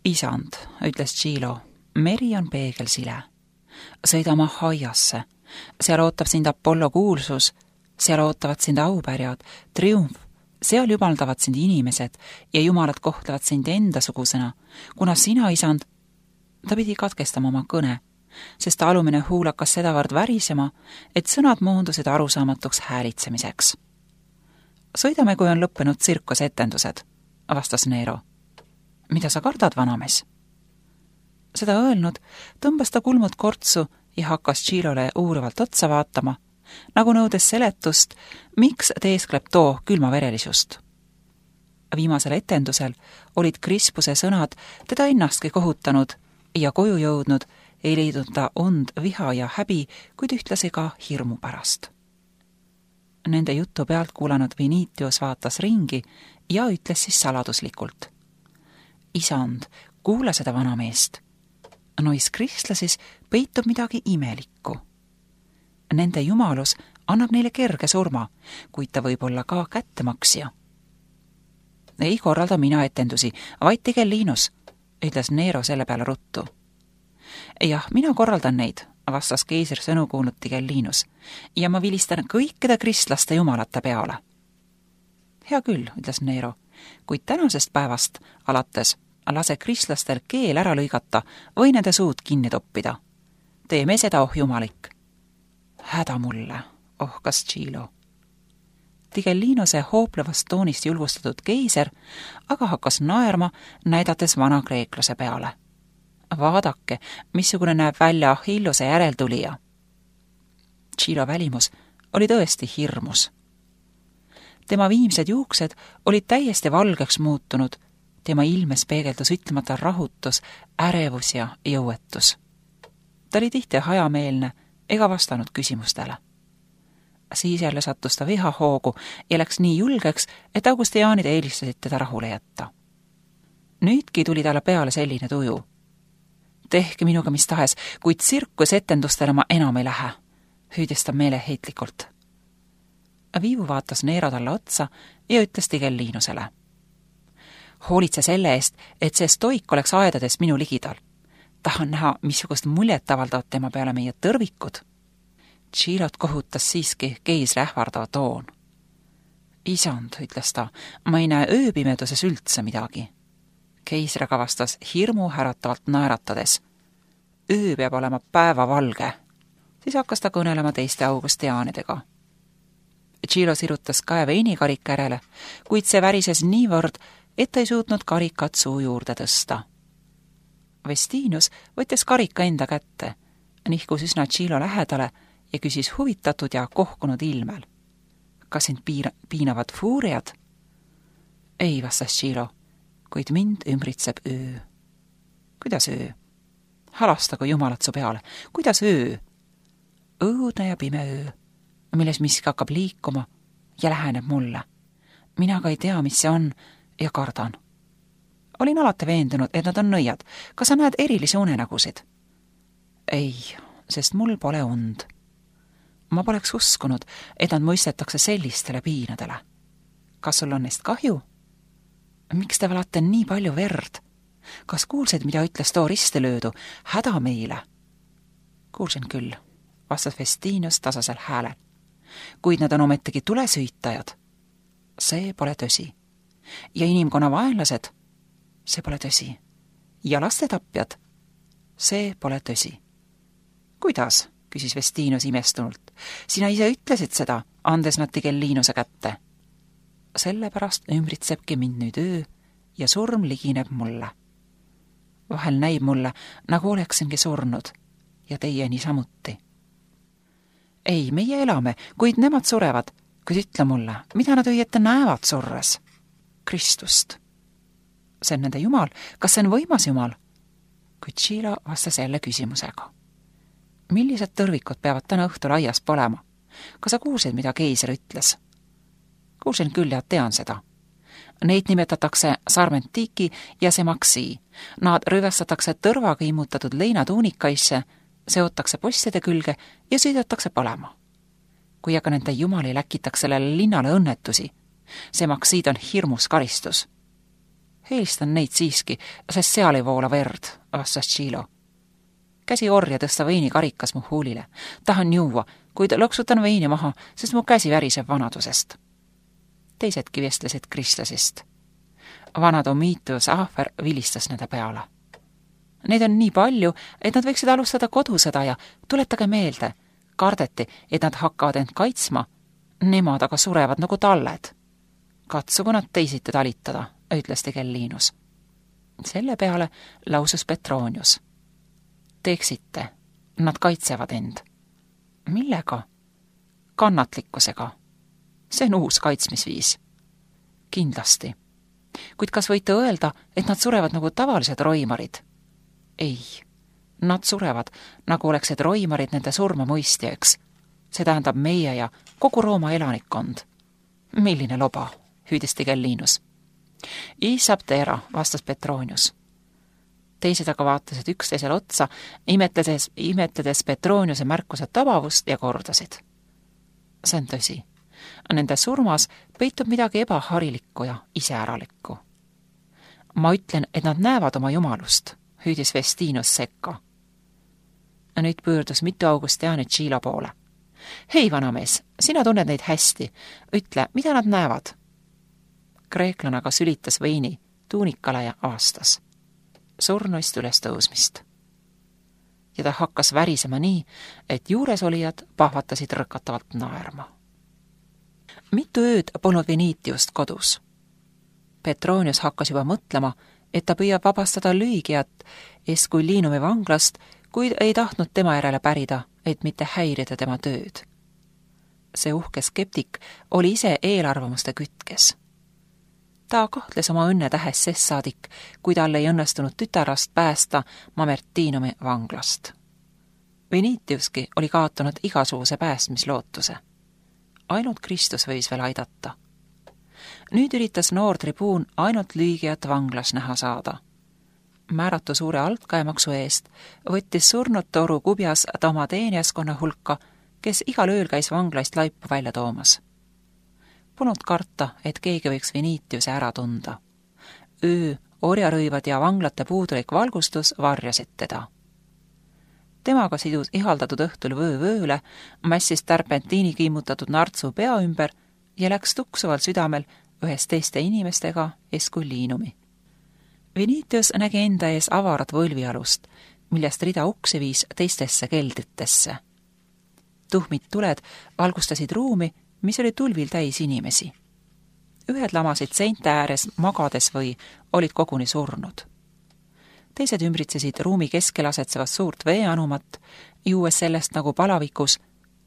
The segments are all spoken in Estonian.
Isand, ütles Tšilo, meri on peegelsile. Sõida oma haiasse. Seal ootab sind Apollo kuulsus, seal ootavad sind aupärjad, triumf, seal jumaldavad sind inimesed ja jumalad kohtlevad sind endasugusena, kuna sina, isand, ta pidi katkestama oma kõne, sest alumine huul hakkas sedavõrd värisema, et sõnad moondusid arusaamatuks häälitsemiseks. Sõidame, kui on lõppenud tsirkusetendused, vastas Nero. Mida sa kardad, vanamees? Seda öelnud, tõmbas ta kulmud kortsu ja hakkas Tšilole uurivalt otsa vaatama, nagu nõudes seletust, miks teeskleb too külmaverelisust. Viimasel etendusel olid Krispuse sõnad teda ennastki kohutanud ja koju jõudnud, ei leidnud ta und, viha ja häbi, kuid ühtlasi ka hirmu pärast. Nende jutu pealt kuulanud Vinitius vaatas ringi ja ütles siis saladuslikult. Isand, kuula seda vanameest. Nois kristlasis peitub midagi imelikku. Nende jumalus annab neile kerge surma, kuid ta võib olla ka kättemaksja. Ei korralda mina etendusi, vaid Tigellinus, ütles Nero selle peale ruttu. Jah, mina korraldan neid, vastas keisri sõnu kuulnud Tigellinus, ja ma vilistan kõikide kristlaste jumalate peale. Hea küll, ütles Nero, kuid tänasest päevast alates lase kristlastel keel ära lõigata või nende suud kinni toppida. Teeme seda, oh jumalik. Häda mulle, ohkas Tšilo. Tigellinuse hooplevast toonist julgustatud keiser aga hakkas naerma, näidates vana kreeklase peale. Vaadake, missugune näeb välja Achilluse järeltulija. Tšilo välimus oli tõesti hirmus. Tema viimsed juuksed olid täiesti valgeks muutunud, tema ilmes peegeldus ütlemata rahutus, ärevus ja jõuetus. Ta oli tihti hajameelne ega vastanud küsimustele. Siis jälle sattus ta vihahoogu ja läks nii julgeks, et augustiaanid eelistasid teda rahule jätta. Nüüdki tuli talle peale selline tuju. Tehke minuga mis tahes, kuid tsirkusetendustele ma enam ei lähe, hüüdis ta meeleheitlikult. Viivu vaatas Nero talle otsa ja ütles Tigellinusele. Hoolitse selle eest, et see stoik oleks aedades minu ligidal. Tahan näha, missugust muljet avaldavad tema peale meie tõrvikud. Tšilot kohutas siiski keisri ähvardava toon. Isand, ütles ta, ma ei näe ööpimeduses üldse midagi. Keisri kavastas hirmu äratavalt naeratades. Öö peab olema päevavalge. Siis hakkas ta kõnelema teiste augustiaanidega. Tšilo sirutas käe veinikarika järele, kuid see värises niivõrd, et ta ei suutnud karikat suu juurde tõsta. Vestinius võttis karika enda kätte, nihkus üsna Tšilo lähedale ja küsis huvitatud ja kohkunud ilmel. Kas sind piinavad fuuriad? Ei, vastas Tšilo, kuid mind ümbritseb öö. Kuidas öö? Halastagu jumalat su peale. Kuidas öö? Õudne ja pime öö, milles miski hakkab liikuma ja läheneb mulle. Mina ka ei tea, mis see on ja kardan. Olin alati veendunud, et nad on nõiad. Kas sa näed erilisi unenägusid? Ei, sest mul pole und. Ma poleks uskunud, et nad mõistetakse sellistele piinadele. Kas sul on neist kahju? Miks te valate nii palju verd? Kas kuulsid, mida ütles too ristelöödu? Häda meile. Kuulsin küll, vastas Vestinius tasasel häälel. Kuid nad on ometigi tulesüütajad. See pole tõsi. Ja inimkonna vaenlased? See pole tõsi. Ja lastetapjad? See pole tõsi. Kuidas? Küsis Vestinius imestunult. Sina ise ütlesid seda, andes nad Tigellinuse kätte. Sellepärast ümbritsebki mind nüüd öö ja surm ligineb mulle. Vahel näib mulle, nagu oleksingi surnud ja teie niisamuti. Ei, meie elame, kuid nemad surevad, kuid ütle mulle, mida nad õieti näevad surres? Kristust. See on nende jumal, kas see on võimas jumal? Kuid Tšilo vastas jälle küsimusega. Millised tõrvikud peavad täna õhtul aias polema? Kas sa kuulsid, mida keiser ütles? Kuulsin küll ja tean seda. Neid nimetatakse sarmentiki ja semaksi. Nad rõivastatakse tõrvaga immutatud leinatuunikaisse, seotakse postide külge ja sõidetakse palema. Kui aga nende jumali läkitakse sellele linnale õnnetusi, semaksid on hirmus karistus. Helistan neid siiski, sest seal ei voola verd, vastas Tšilo. Käsi orja tõsta veinikarikas mu huulile. Tahan juua, kuid loksutan veini maha, sest mu käsi väriseb vanadusest. Teisedki vestlesid kristlasest. Vana Domitius Ahver vilistas nende peale. Neid on nii palju, et nad võiksid alustada kodusõda ja tuletage meelde, kardeti, et nad hakkavad end kaitsma, nemad aga surevad nagu talled. Katsugu nad teisiti talitada, ütles Tigellinus. Selle peale lausus Petronius. Teeksite, nad kaitsevad end. Millega? Kannatlikkusega. See on uus kaitsmisviis. Kindlasti. Kuid kas võite öelda, et nad surevad nagu tavalised roimarid? Ei. Nad surevad, nagu oleksid roimarid nende surma mõistjaks. See tähendab meie ja kogu Rooma elanikkond. Milline loba, hüüdis Tigellinus. Isabtera, vastas Petronius. Teised aga vaatasid üksteisele otsa, imetledes Petroniuse märkuse tabavust ja kordasid. See on tõsi. Nende surmas peitub midagi ebaharilikku ja iseäralikku. Ma ütlen, et nad näevad oma jumalust, hüüdis Vestinus sekka. Nüüd pöördus mitu Augustiani Tšilo poole. Hei, vanamees, sina tunned neid hästi. Ütle, mida nad näevad? Kreeklane aga sülitas veini tuunikale ja avastas. Surnuist üles tõusmist. Ja ta hakkas värisema nii, et juuresolijad pahvatasid rõkatavalt naerma. Mitu ööd polnud Venitiust kodus. Petronius hakkas juba mõtlema, et ta püüab vabastada Lüügiat Escullinumi vanglast, kuid ei tahtnud tema järele pärida, et mitte häirida tema tööd. See uhke skeptik oli ise eelarvamuste kütkes. Ta kahtles oma õnne tähes sest saadik, kui tal ei õnnestunud tütarast päästa Mamertinumi vanglast. Venitiuski oli kaotanud igasuguse päästmislootuse. Ainult Kristus võis veel aidata. Nüüd üritas noor tribuun ainult Lüügiat vanglas näha saada. Määratu suure altkäemaksu eest võttis surnud toru kubjas ta oma teenijaskonna hulka, kes igal ööl käis vanglaist laipu välja toomas. Polnud karta, et keegi võiks Venitiuse ära tunda. Öö, orjarõivad ja vanglate puudulik valgustus varjasid teda. Temaga sidus ihaldatud õhtul vööle, mässis tärpentiini kimmutatud nartsu pea ümber ja läks tuksuval südamel ühes teiste inimestega Escullinumi. Venitius nägi enda ees avarat võlvialust, millest rida uksi viis teistesse keldritesse. Tuhmid tuled valgustasid ruumi, mis oli tulvil täis inimesi. Ühed lamasid seinte ääres magades või olid koguni surnud. Teised ümbritsesid ruumi keskel asetsevat suurt veeanumat, juues sellest nagu palavikus,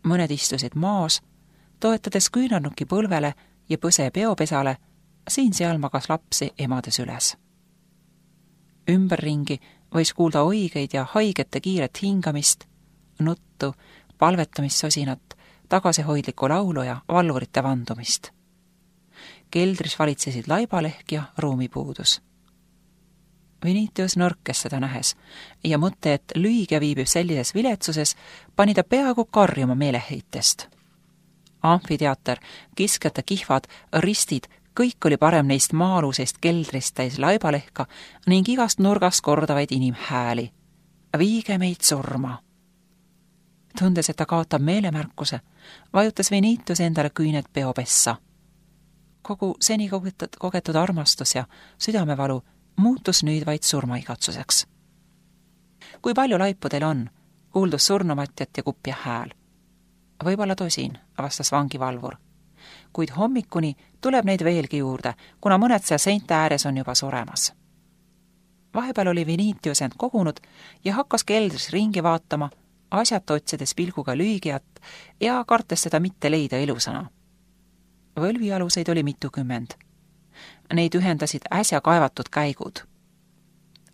mõned istusid maas, toetades küünarnuki põlvele ja põse peopesale, siin-seal magas lapsi emades üles. Ümberringi võis kuulda oigeid ja haigete kiiret hingamist, nuttu, palvetamissosinat, tagasihoidlikku laulu ja valvurite vandumist. Keldris valitsesid laibalehk ja ruumipuudus. Venitius nõrkes seda nähes ja mõte, et Lüügia viibib sellises viletsuses, pani ta peaaegu karjuma meeleheitest. Amfiteater, kiskjate kihvad, ristid, kõik oli parem neist maa-alusest keldrist täis laibalehka ning igast nurgast kordavaid inimhääli. Viige meid surma! Tundes, et ta kaotab meelemärkuse, vajutas Venitius endale küüned peopessa. Kogu seni kogetud armastus ja südamevalu muutus nüüd vaid surmaigatsuseks. Kui palju laipu teil on, kuuldus surnumatjat ja kupja hääl. Võib-olla tosin, vastas vangivalvur. Kuid hommikuni tuleb neid veelgi juurde, kuna mõned seal seinte ääres on juba suremas. Vahepeal oli Venitius end kogunud ja hakkas keldris ringi vaatama, asjata otsides pilguga Lüügiat ja kartes teda mitte leida elusana. Võlvialuseid oli mitukümmend. Neid ühendasid äsja kaevatud käigud.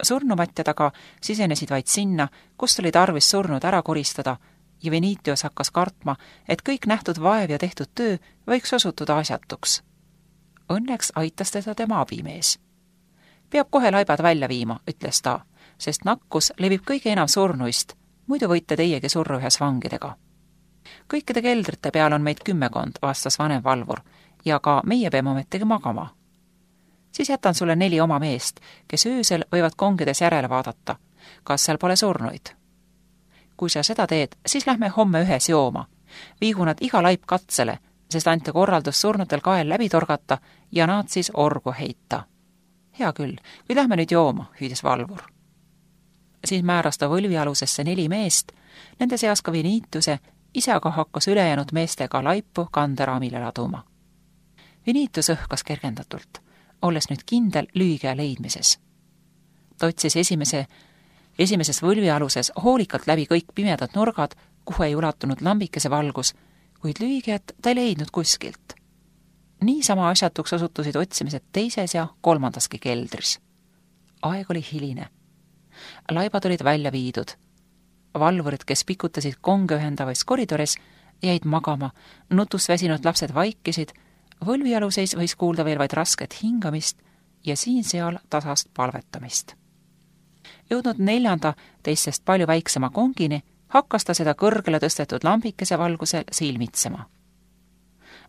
Surnumatjad aga sisenesid vaid sinna, kust oli tarvis surnud ära koristada ja Venitius hakkas kartma, et kõik nähtud vaev ja tehtud töö võiks osutuda asjatuks. Õnneks aitas teda tema abimees. Peab kohe laibad välja viima, ütles ta, sest nakkus levib kõige enam surnuist, muidu võite teiegi surru ühes vangidega. Kõikide keldrite peal on meid 10, vastas vanem valvur, ja ka meie peame ometigi magama. siis jätan sulle 4 oma meest, kes öösel võivad kongides järele vaadata, kas seal pole surnuid. Kui sa seda teed, siis lähme homme ühes jooma. Viigu nad iga laip katsele, sest anti korraldus surnutel kael läbi torgata ja nad siis orgu heita. Hea küll, kui lähme nüüd jooma, hüüdis valvur. Siis määras ta võlvialusesse 4 meest, nende seas ka Vinitiuse, ise aga hakkas ülejäänud meestega laipu kanderaamile laduma. Vinitius õhkas kergendatult, olles nüüd kindel lüügija leidmises. Ta otsis esimeses võlvialuses hoolikalt läbi kõik pimedad nurgad, kuhu ei ulatunud lambikese valgus, kuid lüügijat ta ei leidnud kuskilt. Niisama asjatuks osutusid otsimised 2. ja 3. keldris. Aeg oli hiline. Laibad olid välja viidud. Valvurid, kes pikutasid konge ühendavais koridoris, jäid magama, nutust väsinud lapsed vaikisid, võlvialuseis võis kuulda veel vaid rasket hingamist ja siin-seal tasast palvetamist. Jõudnud 4. teistest palju väiksema kongini, hakkas ta seda kõrgele tõstetud lambikese valgusel silmitsema.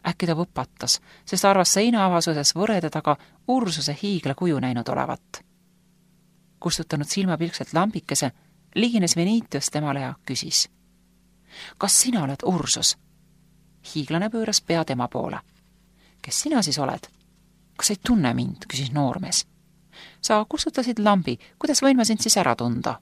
Äkki ta võpatas, sest arvas seinaavasuses võrede taga Ursuse hiigla kuju näinud olevat. Kustutanud silmapilkselt lambikese, ligines Vinitius temale ja küsis. Kas sina oled Ursus? Hiiglane pööras pea tema poole. Kes sina siis oled? Kas ei tunne mind, küsis noormees. Sa kustutasid lambi, kuidas võin ma sind siis ära tunda?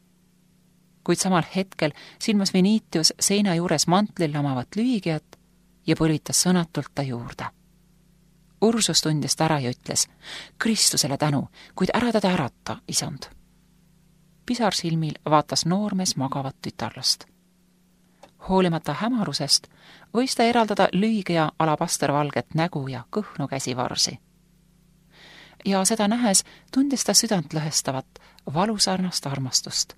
Kuid samal hetkel silmas Vinitius seina juures mantlil lamavat lüügijat ja põlitas sõnatult ta juurde. Ursus tundis ta ära ja ütles, Kristusele tänu, kuid ära teda ärata, isand. Pisar silmil vaatas noormees magavat tütarlast. Hoolimata hämarusest võis ta eraldada lüügija alapastervalget nägu ja kõhnu käsivarsi. Ja seda nähes tundis ta südant lõhestavat, valusarnast armastust,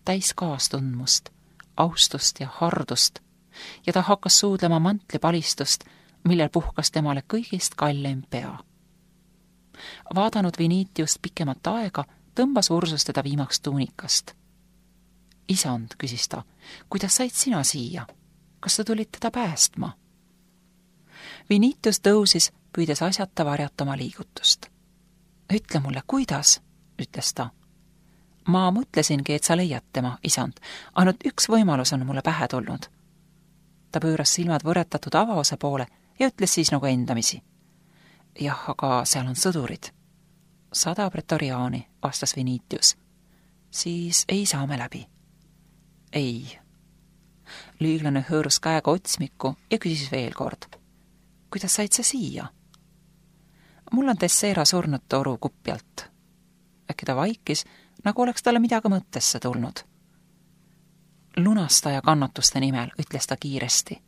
täis kaastundmust, austust ja hardust, ja ta hakkas suudlema mantlipalistust, millel puhkas temale kõigist kallim pea. Vaadanud Vinitiust pikemat aega, tõmbas Ursus teda viimaks tuunikast. Isand, küsis ta, kuidas said sina siia? Kas sa tulid teda päästma? Vinitius tõusis, püüdes asjata varjata oma liigutust. Ütle mulle, kuidas, ütles ta. Ma mõtlesingi, et sa leiad tema, isand. Ainult üks võimalus on mulle pähe tulnud. Ta pööras silmad võretatud avaose poole ja ütles siis nagu endamisi. Jah, aga seal on sõdurid. 100 pretoriaani, vastas Vinitius. Siis ei saa me läbi. Ei. Lüüglane hõõrus käega otsmikku ja küsis veel kord. Kuidas said sa siia? Mul on Tessera surnud toru kupjalt. Äkki ta vaikis, nagu oleks talle midagi mõttesse tulnud. Lunastaja kannatuste nimel, ütles ta kiiresti.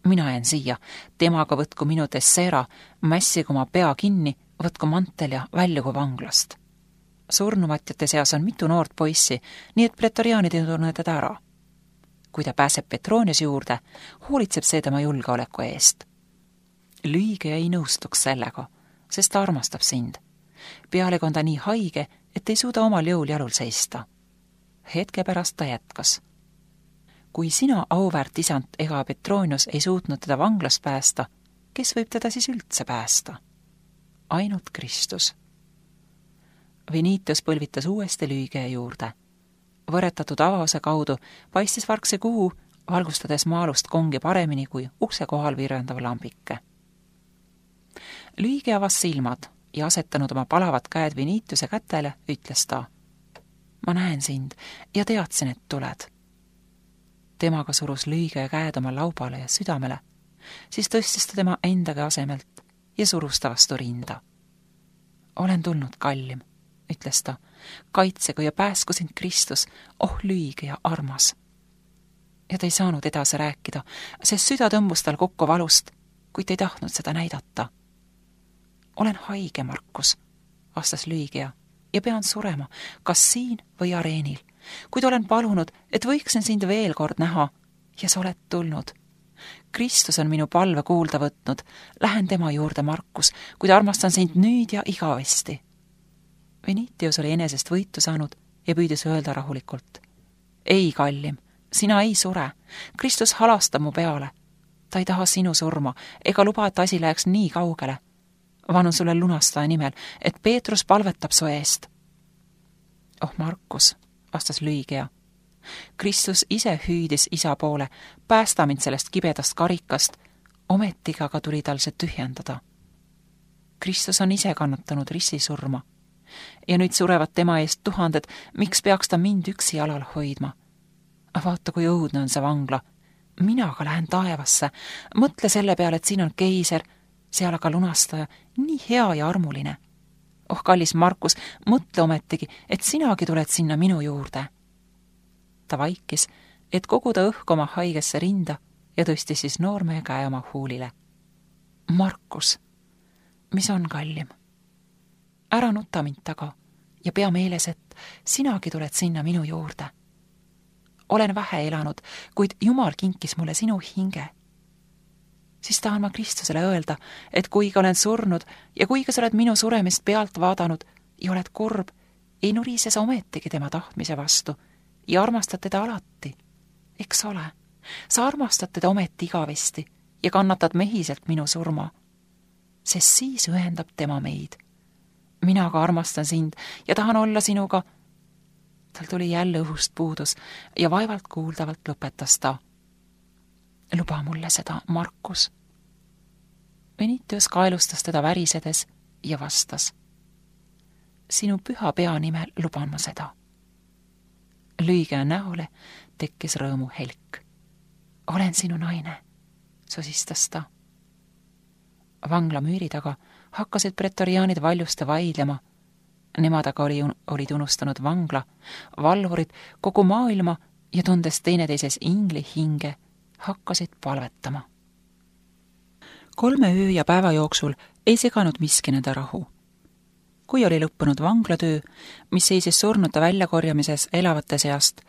Mina jään siia, temaga võtku minu Tessera, mässigu oma pea kinni, võtku mantel ja väljugu vanglast. Surnumatjate seas on mitu noort poissi, nii et pretoriaanid ei tunne teda ära. Kui ta pääseb Petronius juurde, hoolitseb see tema julgeoleku eest. Lüügija ei nõustuks sellega, sest ta armastab sind. Pealegi on ta nii haige, et ei suuda omal jõul jalul seista. Hetke pärast ta jätkas. Kui sina, auväärt isand ega Petronius ei suutnud teda vanglast päästa, kes võib teda siis üldse päästa? Ainult Kristus. Vinitius põlvitas uuesti lüügija juurde. Võretatud avause kaudu paistis vargse kuu, valgustades maalust kongi paremini kui ukse kohal virvendav lambike. Lüügija avas silmad ja asetanud oma palavad käed Vinitiuse kätele, ütles ta. Ma näen sind ja teadsin, et tuled. Temaga surus lüügija käed oma laubale ja südamele, siis tõstis ta tema endagi asemelt ja surus ta vastu rinda. Olen tulnud, kallim, ütles ta, kaitsegu ja pääsku sind Kristus, oh lüügija armas. Ja ta ei saanud edasi rääkida, sest süda tõmbus tal kokku valust, kuid ei tahtnud seda näidata. Olen haige, Markus, vastas lüügija, ja pean surema, kas siin või areenil, kuid olen palunud, et võiksin sind veel kord näha, ja sa oled tulnud. Kristus on minu palve kuulda võtnud, lähen tema juurde, Markus, kuid armastan sind nüüd ja igavesti. Vinitius oli enesest võitu saanud ja püüdis öelda rahulikult. Ei, kallim, sina ei sure, Kristus halastab mu peale. Ta ei taha sinu surma ega luba, et asi läheks nii kaugele. Vanun sulle lunastaja nimel, et Peetrus palvetab su eest. Oh Markus, vastas Lüigea. Kristus ise hüüdis isa poole, päästa mind sellest kibedast karikast, ometiga aga tuli tal see tühjendada. Kristus on ise kannatanud ristisurma ja nüüd surevad tema eest tuhanded, miks peaks ta mind üksi jalal hoidma? Vaata, kui õudne on see vangla. Mina aga lähen taevasse. Mõtle selle peale, et siin on keiser, seal aga lunastaja, nii hea ja armuline. Oh, kallis Markus, mõtle ometigi, et sinagi tuled sinna minu juurde. Ta vaikis, et koguda õhk oma haigesse rinda ja tõstis siis noormehe käe oma huulile. Markus, mis on kallim? Ära nuta mind taga ja pea meeles, et sinagi tuled sinna minu juurde. Olen vähe elanud, kuid Jumal kinkis mulle sinu hinge. Siis tahan ma Kristusele öelda, et kuigi olen surnud ja kuigi sa oled minu suremist pealt vaadanud ja oled kurb, ei nurise sa ometigi tema tahtmise vastu ja armastad teda alati. Eks ole, sa armastad teda ometi igavesti ja kannatad mehiselt minu surma, sest siis ühendab tema meid. Mina aga armastan sind ja tahan olla sinuga. Tal tuli jälle õhust puudus ja vaevalt kuuldavalt lõpetas ta. Luba mulle seda, Markus. Venitius kaelustas teda värisedes ja vastas. Sinu püha pea nimel luban ma seda. Lüigea näole tekkis rõõmu helk. Olen sinu naine, sosistas ta. Vangla müüri taga hakkasid pretoriaanid valjuste vaidlema. Nemad aga olid unustanud vangla, valvurid, kogu maailma ja tundes teineteises ingli hinge, hakkasid palvetama. 3 öö ja päeva jooksul ei seganud miski nende rahu. Kui oli lõppenud vanglatöö, mis seisis surnute väljakorjamises elavate seast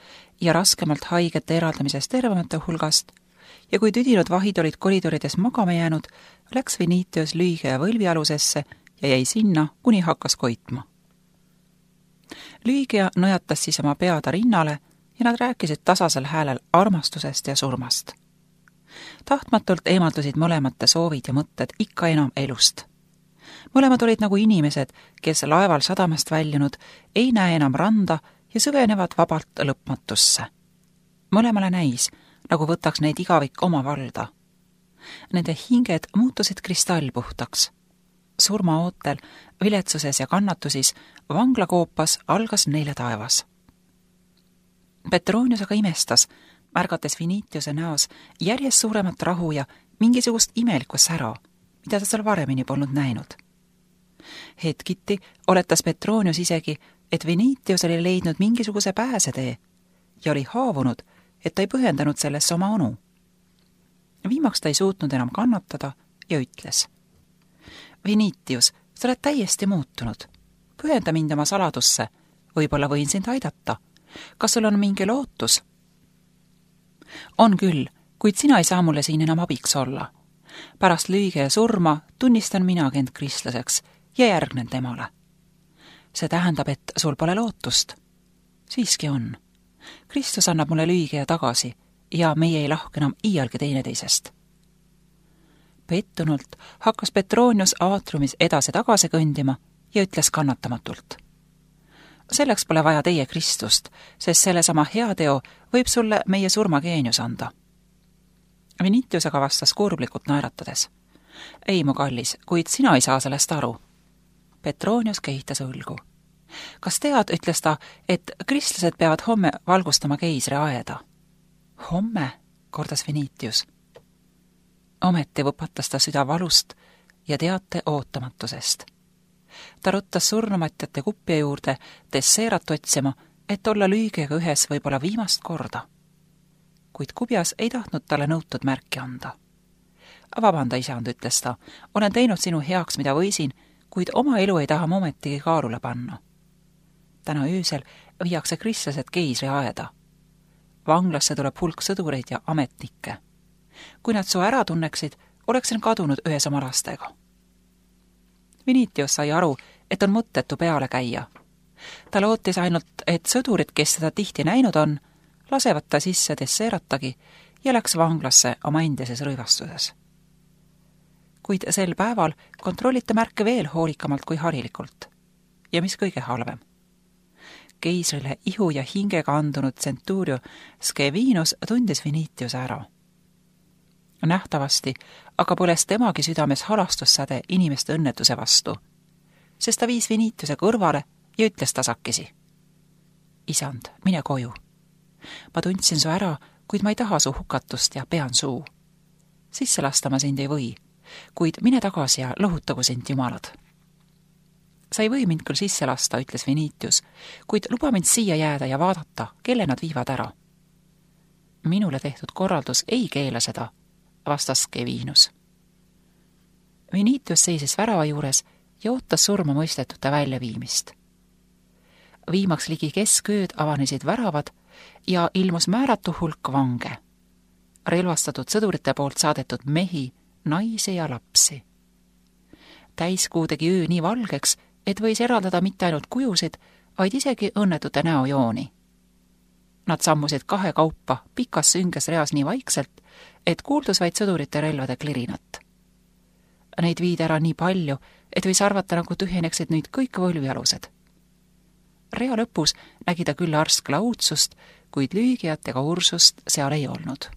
ja raskemalt haigete eraldamises tervemate hulgast, ja kui tüdinud vahid olid koridorides magama jäänud, läks Venitius Lüigea võlvialusesse ja jäi sinna, kuni hakkas koitma. Lüigea nõjatas siis oma peada rinnale ja nad rääkisid tasasel häälel armastusest ja surmast. Tahtmatult eemaldusid mõlemate soovid ja mõtted ikka enam elust. Mõlemad olid nagu inimesed, kes laeval sadamast väljunud, ei näe enam randa ja süvenevad vabalt lõpmatusse. Mõlemale näis, nagu võtaks neid igavik oma valda. Nende hinged muutusid kristallpuhtaks. Surmaootel, viletsuses ja kannatusis, vanglakoopas algas neile taevas. Petronius aga imestas, märgates Venitiuse näos järjest suuremat rahu ja mingisugust imelikku sära, mida ta seal varemini polnud näinud. Hetkiti oletas Petronius isegi, et Venitius oli leidnud mingisuguse pääsetee ja oli haavunud, et ta ei põhjendanud sellesse oma onu. Viimaks ta ei suutnud enam kannatada ja ütles. Venitius, sa oled täiesti muutunud. Pühenda mind oma saladusse. Võib-olla võin sind aidata. Kas sul on mingi lootus? On küll, kuid sina ei saa mulle siin enam abiks olla. Pärast Lüigea surma tunnistan minagi end kristlaseks ja järgnen temale. See tähendab, et sul pole lootust. Siiski on. Kristus annab mulle Lüigea tagasi ja meie ei lahku enam iialgi teineteisest. Pettunult hakkas Petronius aatriumis edasi-tagasi kõndima ja ütles kannatamatult. Selleks pole vaja teie Kristust, sest sellesama heateo võib sulle meie surmageenius anda. Venitius aga vastas kurblikult naeratades. Ei, mu kallis, kuid sina ei saa sellest aru. Petronius kehitas õlgu. Kas tead, ütles ta, et kristlased peavad homme valgustama keisri aeda? Homme, kordas Venitius. Ometi võpatas ta süda valust ja teate ootamatusest. Ta ruttas surnumatjate kupja juurde desseerat otsima, et olla Lüigeaga ühes võib-olla viimast korda. Kuid kubjas ei tahtnud talle nõutud märki anda. Vabanda, isand, ütles ta, olen teinud sinu heaks, mida võisin, kuid oma elu ei taha ma ometigi kaalule panna. Täna öösel viiakse kristlased keisri aeda. Vanglasse tuleb hulk sõdureid ja ametnikke. Kui nad su ära tunneksid, oleksin kadunud ühes oma lastega. Venitius sai aru, et on mõttetu peale käia. Ta lootis ainult, et sõdurid, kes seda tihti näinud on, lasevad ta sisse desseeratagi ja läks vanglasse oma endises rõivastuses. kuid sel päeval kontrolliti märke veel hoolikamalt kui harilikult. Ja mis kõige halvem? Keisrile ihu ja hingega andunud Centurio Scevinus tundis Venitiuse ära. Nähtavasti aga põles temagi südames halastussäde inimeste õnnetuse vastu, sest ta viis Venitiuse kõrvale ja ütles tasakesi. Isand, mine koju. Ma tundsin su ära, kuid ma ei taha su hukatust ja pean suu. Sisse lasta ma sind ei või, kuid mine tagasi ja lohutagu sind jumalad. Sa ei või mind küll sisse lasta, ütles Venitius, kuid luba mind siia jääda ja vaadata, kelle nad viivad ära. Minule tehtud korraldus ei keela seda, vastas Scevinus. Venitius seisis värava juures ja ootas surma mõistetute väljaviimist. Viimaks ligi keskööd avanesid väravad ja ilmus määratu hulk vange, relvastatud sõdurite poolt saadetud mehi, naisi ja lapsi. Täiskuu tegi öö nii valgeks, et võis eraldada mitte ainult kujusid, vaid isegi õnnetute näojooni. Nad sammusid kahe kaupa pikas sünges reas nii vaikselt, et kuuldus vaid sõdurite relvade klirinat. Neid viid ära nii palju, et võis arvata, nagu tühjeneksid nüüd kõik võlvialused. Rea lõpus nägi ta küll arskla uudsust, kuid Lüügiat ega Ursust seal ei olnud.